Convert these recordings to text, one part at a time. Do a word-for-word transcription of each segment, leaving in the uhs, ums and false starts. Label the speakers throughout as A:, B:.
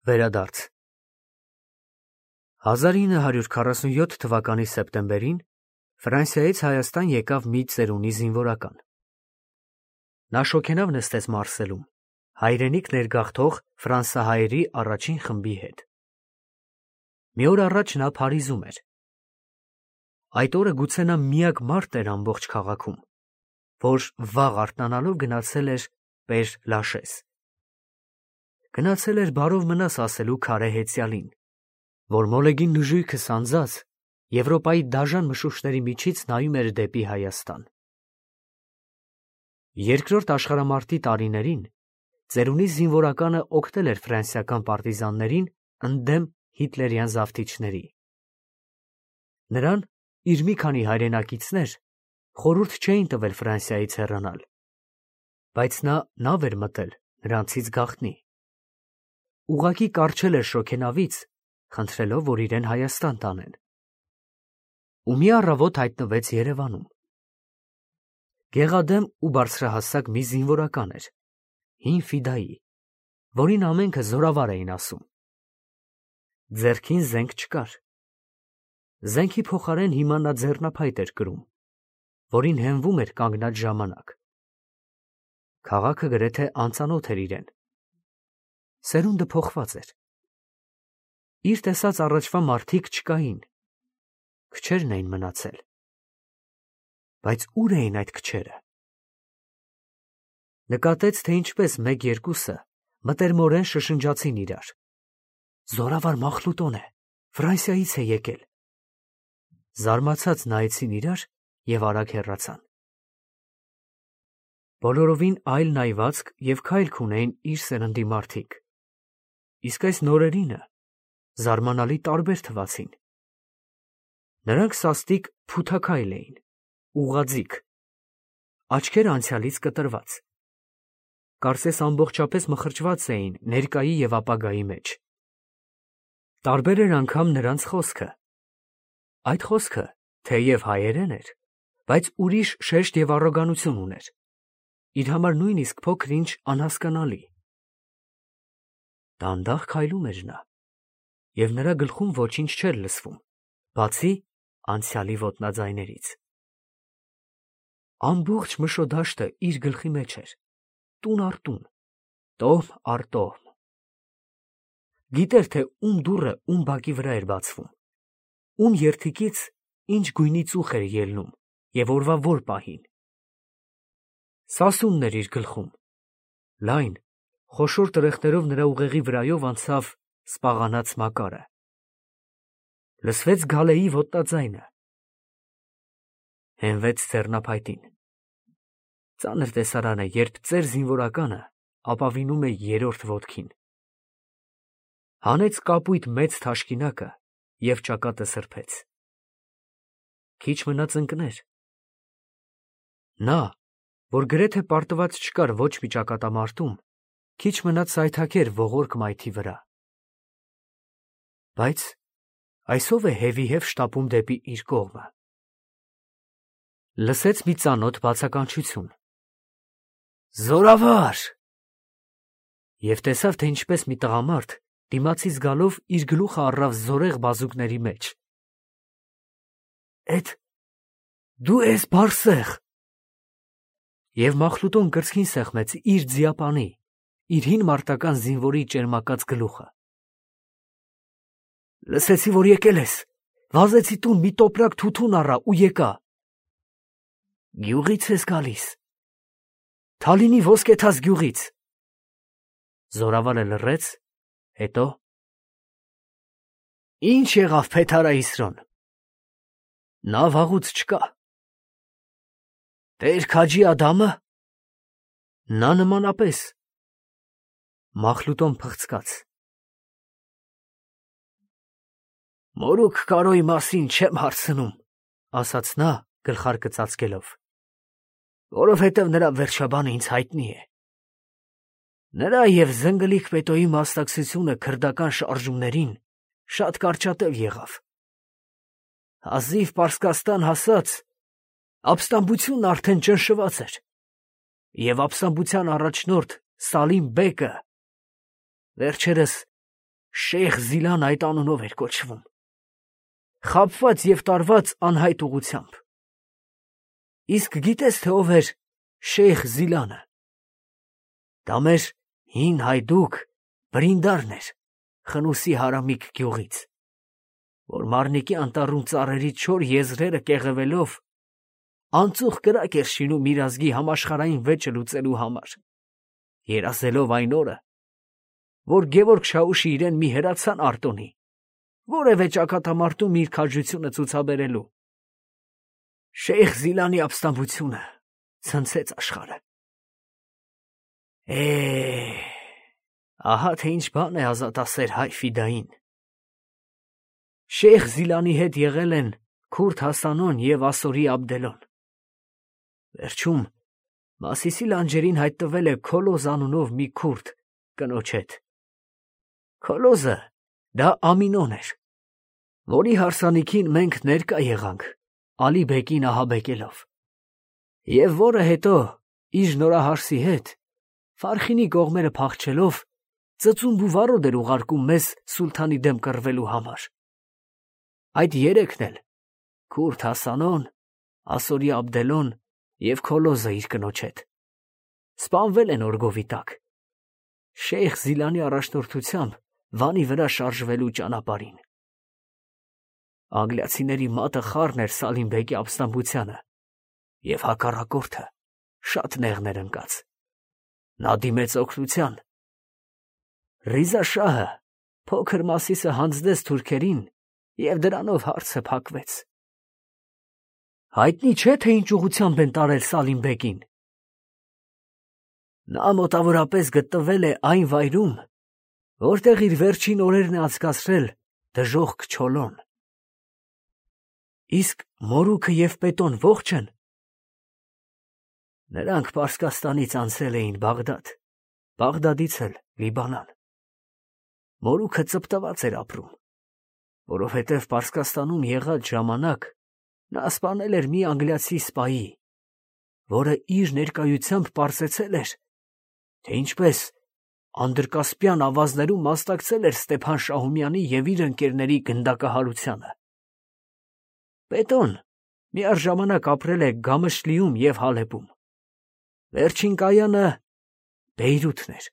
A: Վերադարձ հազար ինը հարյուր քառասունյոթ թվականի սեպտեմբերին Ֆրանսիայից Հայաստան եկավ մի ծերունի զինվորական։ Նա շոգենավ նստեց Մարսելում, հայրենիք ներգաղթող ֆրանսահայերի առաջին խմբի հետ։ Մի օր առաջ նա Փարիզում էր։ Այդ օրը գուցե նա միակ մարդ էր ամբողջ քաղաքում, որ վաղ արթնանալով գնացել էր Պեր Լաշես։ Գնացել էր բարով մնաս ասելու քարե հեծյալին, որ մոլեգին նժույգը սանձած Եվրոպայի դաժան մշուշների միջից նայում էր դեպի Հայաստան։ Երկրորդ աշխարհամարտի տարիներին ծերունի զինվորականը օգնել էր ֆրանսիական պարտիզաններին ընդդեմ հիտլերյան զավթիչների։ Նրան իր մի քանի հայրենակիցներ խորհուրդ չէին տվել Ֆրանսիայից հեռանալ, բայց նա նավ էր մտել նրանցից գաղտնի։ Ուղղակի կառչել էր շոգենավից, խնդրելով, որ իրեն Հայաստան տանեն։ Ու մի առավոտ հայտնվեց Երևանում։ Գեղադեմ ու բարձրահասակ մի զինվորական էր, հին ֆիդայի, որին ամենքը զորավար էին ասում։ Ձեռքին զենք չկար։ Զենքի փոխարեն հիմա նա ձեռնափայտ էր կրում, որին հենվում էր կանգնած ժամանակ։ Քաղաքը գրեթե անծանոթ էր իրեն։ Սերունդը փոխված էր։ Իր տեսած առաջվա մարդիկ չկային, քչերն էին մնացել։ Բայց ուր էին այդ քչերը։ Նկատեց, թե ինչպես մեկ-երկուսը մտերմորեն շշնջացին իրար։ Զորավար Մախլուտոն է, Ֆրանսիայից է եկել։ Զարմացած նայեցին իրար և արագ հեռացան։ Բոլորովին այլ նայվածք և քայլք ունեին իր սերնդի մարդիկ։ Իսկ այս նորերինը զարմանալի տարբեր թվացին։ Նրանք սաստիկ փութաքայլ էին, ուղղաձիգ, աչքերը անցյալից կտրված։ Կարծես ամբողջապես մխրճված էին ներկայի և ապագայի մեջ։ Տարբեր էր անգամ նրանց խոսքը։ Այդ խոսքը թեև հայերեն էր, բայց ուրիշ շեշտ և առոգանություն ուներ, իր համար նույնիսկ փոքր-ինչ անհասկանալի։ Դանդաղ քայլում էր նա, և նրա գլխում ոչինչ չէր լսվում, բացի անցյալի ոտնաձայներից։ Ամբողջ Մշոդաշտը իր գլխի մեջ էր, տուն առ տուն, տոհմ առ տոհմ։ Գիտեր, թե ում դուռը ում բակի վրա էր բացվում, ում երդիկից ինչ գույնի ծուխ էր ելնում և օրվա որ պահին։ Սասունն էր իր գլխում, լայն, խոշոր տրեխներով նրա ուղեղի վրայով անցավ սպաղանած Մակարը։ Լսվեց Գալեի ոտնաձայնը։ Հենվեց ձեռնափայտին։ Ծանր տեսարան է, երբ ծեր զինվորականը ապավինում է երրորդ ոտքին։ Հանեց կապույտ մեծ թաշկինակը և ճակատը սրբեց։ Քիչ մնաց ընկներ։ Նա, որ գրեթե պարտված չկար ոչ մի ճակատամարտում, քիչ մնաց սայթաքեր ողորկ մայթի վրա։ Բայց այս ո՞վ է հևիհև շտապում դեպի իր կողմը։ Լսեց մի ծանոթ բացականչություն. «Զորավար»։ Եվ տեսավ, թե ինչպես մի տղամարդ դիմացից գալով իր գլուխը առավ զորեղ բազուկների մեջ։ «Էդ դու ես Բարսեղ»։ Եվ Մախլուտոն կրծքին սեղմեց իր ձիապանի, իր հին մարտական զինվորի ճերմակած գլուխը։ Լսեցի, որ եկել ես, վազեցի տուն, մի տոպրակ թութուն առա ու եկա։ Գյուղի՞ց ես գալիս։ Թալինի ոսկեթաց գյուղից։ Զորավարը լռեց, հետո. Ինչ եղավ Փեթարա Իսրոն։ Նա վաղուց չկա։ Տեր Քաջի Ադամը։ Նա նմանապես։ Մախլուտոն փղցկաց։ Մորուք Կարոյի մասին չեմ հարցնում, ասաց նա գլխարկը ծածկելով, որովհետև նրա վերջաբանը ինձ հայտնի է։ Նրա և Զնգլիկ Պետոյի մասնակցությունը քրդական շարժումներին շատ կարճատև եղավ։ Հազիվ Պարսկաստան հասած, ապստամբությունն արդեն ճնշված էր, և ապստամբության առաջնորդ Սալիմ բեկը վերջերս Շեյխ Զիլան այդ անունով էր կոչվում, խաբված և տարված անհայտ ուղղությամբ։ Իսկ գիտես, թե ով էր Շեյխ Զիլանը։ Դա մեր հին հայդուկ Բրինդարն էր, Խնուսի հարամիկ գյուղից, որ Մարնիկի անտառում ծառերի չոր եզրերը կեղևելով անծուխ կրակ էր շինում իր ազգի համաշխարհային վեճը լուծելու համար, երազելով այն օրը, որ Գևորգ Շաուշի իրեն մի հրացան արտոնի, որևէ ճակատամարտում իր քաջությունը ցուցաբերելու։ Շեյխ Զիլանի ապստամբությունը ցնցեց աշխարհը։ Է, ահա թե ինչ բան է ազատասեր հայ ֆիդային։ Շեյխ Զիլանի հետ եղել են Քուրդ Հասանոն և Ասորի Աբդելոն։ Վերջում Մասիսի լանջերին հայտնվել է Քոլոզ անունով մի քուրդ կնոջ հետ։ Քոլոզը դա Ամինոն էր, որի հարսանիքին մենք ներկա եղանք Ալի բեկին ահաբեկելով, և որը հետո իր նորահարսի հետ Ֆարխինի կողմերը փախչելով ծծումբ ու վարոդ էր ուղարկում մեզ սուլթանի դեմ կռվելու համար։ Այդ երեքն էլ Քուրդ Հասանոն, Ասորի Աբդելոն և Քոլոզը իր կնոջ հետ սպանվել են օրգովի տակ, Շեյխ Զիլանի առաջնորդությամբ Վանի վրա շարժվելու ճանապարհին։ Անգլիացիների մատը խառն էր Սալիմ բեկի ապստամբությանը, և հակառակորդը շատ նեղներ ընկած։ Նա դիմեց օգնության։ Ռիզա շահը փոքր Մասիսը հանձնեց թուրքերին, և դրանով հարցը փակվեց։ Հայտնի չէ, թե ինչ ուղղությամբ են տարել Սալիմ բեկին։ Նա մոտավորապես գտնվել է այն վայրում, որտեղ իր վերջին օրերն է անցկացրել դժոխք Չոլոն։ Իսկ մորուքը և պետոն ողջ են։ Նրանք Պարսկաստանից անցել էին Բաղդադ, Բաղդադից էլ Լիբանան։ Մորուքը ծպտված էր ապրում, որովհետև Պարսկաստանում եղած ժամանակ նա սպանել էր մի անգլիացի սպայի, որը իր ներկայությամբ պարզեցել էր, թե ինչպես Անդրկասպյան ավազներում մասնակցել էր Ստեփան Շահումյանի և իր ընկերների գնդակահարությանը։ Պետոն միառժամանակ ապրել է Գամշլիում և Հալեպում։ Վերջին կայանը Բեյրութն էր։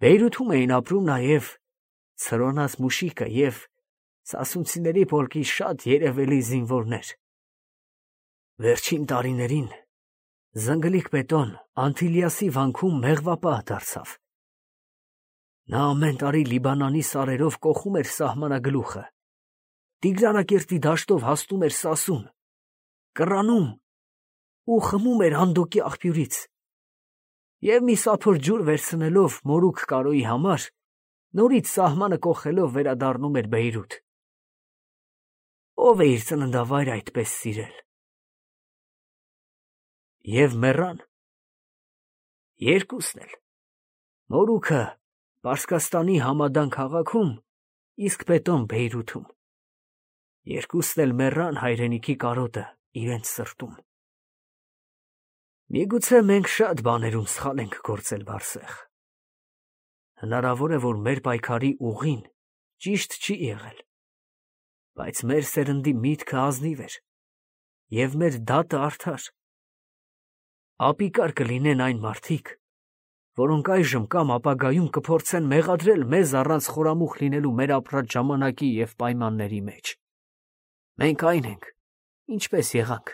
A: Բեյրութում էին ապրում նաև Ցրոնած Մուշիկը և սասունցիների պոլկի շատ երևելի զինվորներ։ Վերջին տարիներին զնգլիկ պետոն Անտիլիասի վանքում մեղվապահ դարձավ։ Նա ամեն տարի Լիբանանի սարերով կոխում էր սահմանագլուխը, Տիգրանակերտի դաշտով հասնում էր Սասուն, կռանում ու խմում էր Հանդոկի աղբյուրից, և մի սափոր ջուր վերցնելով մորուք Կարոյի համար, նորից սահմանը կոխելով վերադառնում էր Բեյրութ։ Ո՞վ է իր ծննդավայրը այդպես սիրել։ Եվ մեռան։ Երկուսն էլ, մորուքը Պարսկաստանի Համադան քաղաքում, իսկ պետոն Բեյրութում։ Երկուսն էլ մեռան հայրենիքի կարոտը իրենց սրտում։ Միգուցե մենք շատ բաներում սխալ ենք գործել, Բարսեղ։ Հնարավոր է, որ մեր պայքարի ուղին ճիշտ չի եղել, բայց մեր սերնդի միտքը ազնիվ էր, և մեր դատը արդար։ Ապիկար կլինեն այն մարդիկ, որոնք այժմ կամ ապագայում կփորձեն մեղադրել մեզ առանց խորամուխ լինելու մեր ապրած ժամանակի և պայմանների մեջ։ Մենք այն ենք, ինչպես եղանք։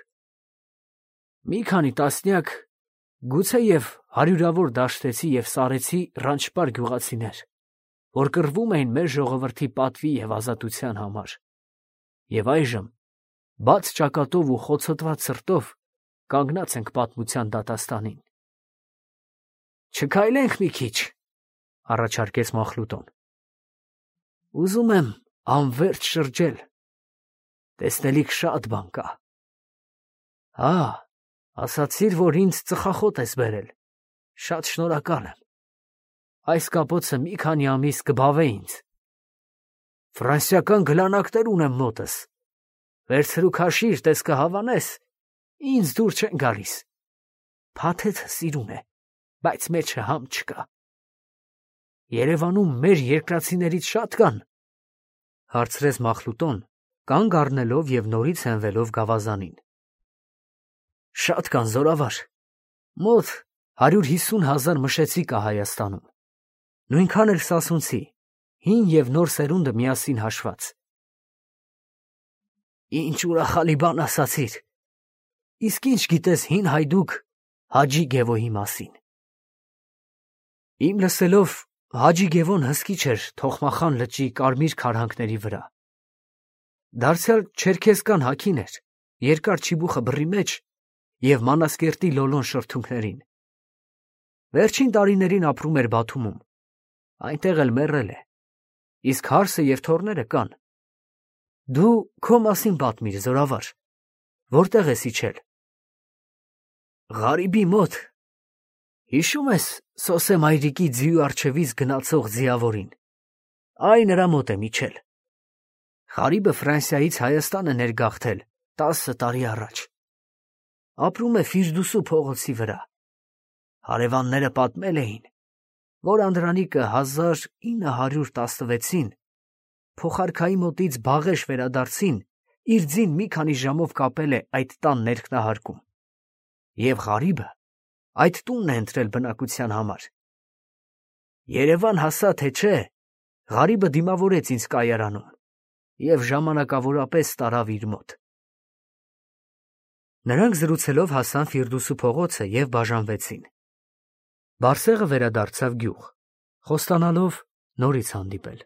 A: Մի քանի տասնյակ, գուցեև հարյուրավոր դաշտեցի և սարեցի ռանչպար գյուղացիներ, որ կռվում էին մեր ժողովրդի պատվի և ազատության համար, և այժմ բաց ճակատով ու խոցոտված սրտով կանգնած ենք պատմության դատաստանին։ Չքայլենք մի քիչ, առաջարկեց Մախլուտոն։ Ուզում եմ անվերջ շրջել, տեսնելիք շատ բան կա։ Հա, ասացիր, որ ինձ ծխախոտ ես բերել, շատ շնորհակալ եմ։ Այս կապոցը մի քանի ամիս կբավե ինձ։ Ֆրանսիական գլանակներ ունեմ մոտս, վերցրու քաշիր, տես կհավանես, ինձ դուր չեն գալիս։ Փաթեթը սիրուն է, բայց մեջը համ չկա։ Երևանում մեր երկրացիներից շատ կան, հարցրեց Մախլուտոն, կանգ առնելով և նորից հենվելով գավազանին։ Շատ կան, զորավար, մոտ հարյուր հիսուն հազար մշեցի կա Հայաստանում, նույնքան էլ սասունցի, հին և նոր սերունդը միասին հաշված։ Ինչ ուրախալի բան ասացիր, իսկ ինչ գիտես հին հայդուկ Հաջի Գևոյի մասին։ Իմ լսելով Հաջի Գևոն հսկիչ էր Թոխմախան լճի կարմիր քարհանքների վրա։ Դարձյալ չերքեզկան հագին էր, երկար չիբուխը բռի մեջ և Մանասկերտի լոլոն շրթունքներին։ Վերջին տարիներին ապրում էր Բաթումում, այնտեղ էլ մեռել է, իսկ հարսը և թոռները կան։ Դու քո մասին պատմիր, զորավար, որտեղ ես իջել։ Ղարիբի մոտ։ Հիշում ես Սոսե մայրիկի ձիու առջևից գնացող ձիավորին։ Այ նրա մոտ եմ իջել։ Ղարիբը Ֆրանսիայից Հայաստան է ներգաղթել տասը տարի առաջ։ Ապրում է Ֆիրդուսու փողոցի վրա։ Հարևանները պատմել էին, որ անդրանիկը հազար ինը հարյուր տասնվեցին փոխարքայի մոտից Բաղեշ վերադարձին իր ձին մի քանի ժամով կապել է այդ տան ներքնահարկում, և Ղարիբը այդ տունն է ընտրել բնակության համար։ Երևան հասա, թե չէ, Ղարիբը դիմավորեց ինձ կայարանում և ժամանակավորապես տարավ իր մոտ։ Նրանք զրուցելով հասան Ֆիրդուսու փողոցը և բաժանվեցին։ Բարսեղը վերադարձավ գյուղ, խոստանալով նորից հանդիպել։